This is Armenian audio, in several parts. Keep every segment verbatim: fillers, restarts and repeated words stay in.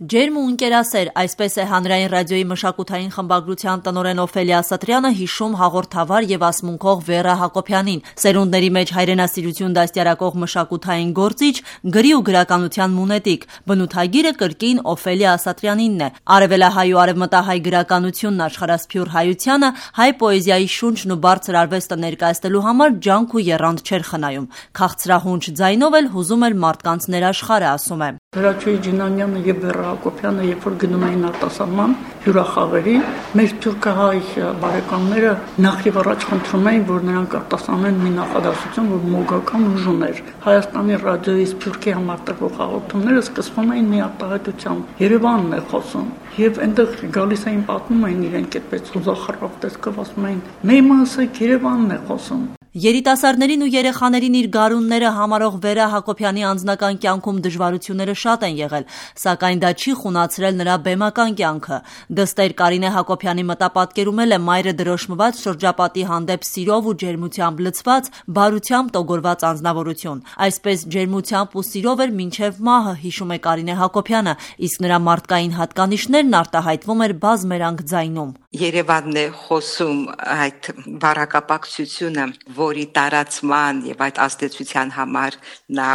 Ջերմ ու ընկերասեր, այսպես է հանրային ռադիոյի մշակութային խմբագրության տնօրեն Օֆելիա Սատրյանը հիշում հաղորդավար եւ ասմունքող Վերա Հակոբյանին, սերունդների մեջ հայրենասիրություն դաստիարակող մշակութային գործիչ, գրի ու գրականության մունետիկ, բնութագիրը կրկին Օֆելիա Սատրյանինն է, արևելահայ ու արևմտահայ գրականությունն աշխարհասփյուր հայությանը, հայ պոեզիայի շունչն ու բարձր արվեստը ներկայացնելու համար ջանք ու եռանդ չէր խնայում, քաղցրահունչ ձայնով էլ հուզում էր մարդկանց ներաշխարհը, ասում է. Հրաչուհի Ջինանյանը եւ Վերա Հակոբյանը, երբ որ գնում էին արտասահման հյուրախաղերի, մեր թուրքահայ բարեկամները նախ եւ առաջ խնդրում էին, որ նրանք արտասանեն մի նախադասություն, որ մոգական ուժ ուներ։ Հայաստանի ռադիոյի Սփյուռքի համար տվող հաղորդումները սկսվում էին մի արտահայտությամբ. Երևանն է խոսում։ Եվ այնտեղ գալիս էին պատմում էին իրենք այդպես հուզախռավ տեսքով, ասում էին. «Մեմասը Երևանն է խոսում»։ Երիտասարդներին ու երեխաներին իր գարունները համարող Վերա Հակոբյանի անձնական կյանքում դժվարությունները շատ են եղել, սակայն դա չի խունացրել նրա բեմական կյանքը։ Դստեր Կարինե Հակոբյանի մտապատկերում էլ է մայրը դրոշմված շրջապատի հանդեպ սիրով ու ջերմությամբ լցված, բարությամբ տոգորված անձնավորություն։ Այսպես ջերմությամբ ու սիրով էր մինչև մահը, հիշում է Կարինե Հակոբյանը, իսկ նրա մարդկային հատկանիշներն արտահայտվում էր բազմերանգ ձայնում։ Երևանն է խոսում այդ բառակապակցությունը, որի տարածման եւ այդ ազդեցության համար նա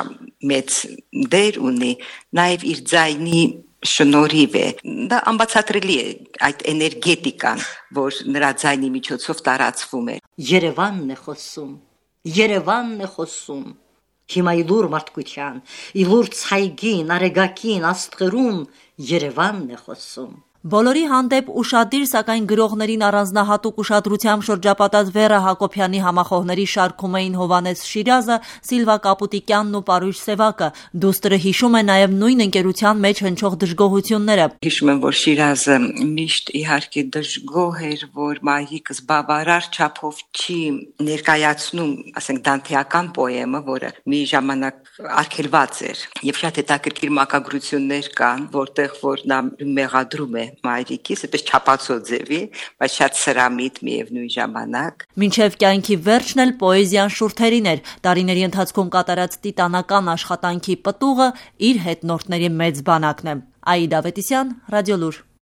մեծ դեր ունի, նաեւ իր ձայնի շնորհիվ է։ Դա անբացատրելի է այդ էներգետիկան, որ նրա ձայնի միջոցով տարածվում է։ Երևանն է խոսում, Երևանն է խոսում։ Հիմա իլուր մարդկության, իլուր ցայգին, արեգակին, աստղերուն Երևանն է խոսում։ Բոլորի հանդեպ ուշադիր, սակայն գրողներին առանձնահատուկ ուշադրությամբ շրջապատած Վերա Հակոբյանի համախոհների շարքում էին Հովանես Շիրազը, Սիլվա Կապուտիկյանն ու Պարույր Սևակը։ Դուստրը հիշում է նաև նույն ընկերության մեջ հնչող դժգոհությունները։ Հիշում եմ, որ Շիրազը միշտ իհարկե դժգոհ էր, որ մայրիկս բավարար չափով չի ներկայացնում, ասենք, դանթեական պոեմը, որը մի ժամանակ արգելված էր, եւ շատ հետաքրքիր մակագրություններ կան, որտեղ որ նա մեղադրում է մայրիկիս, այդպես չափածո ձևի, բայց շատ սրամիտ միևնույն ժամանակ։ Մինչև կյանքի վերջն էլ պոեզիան շուրթերին էր, տարիների ընթացքում կատարած տիտանական աշխատանքի պտուղը իր հետնորդների մեծ բանակն է։ Աիդա Ավետիսյան, Ռադիոլուր։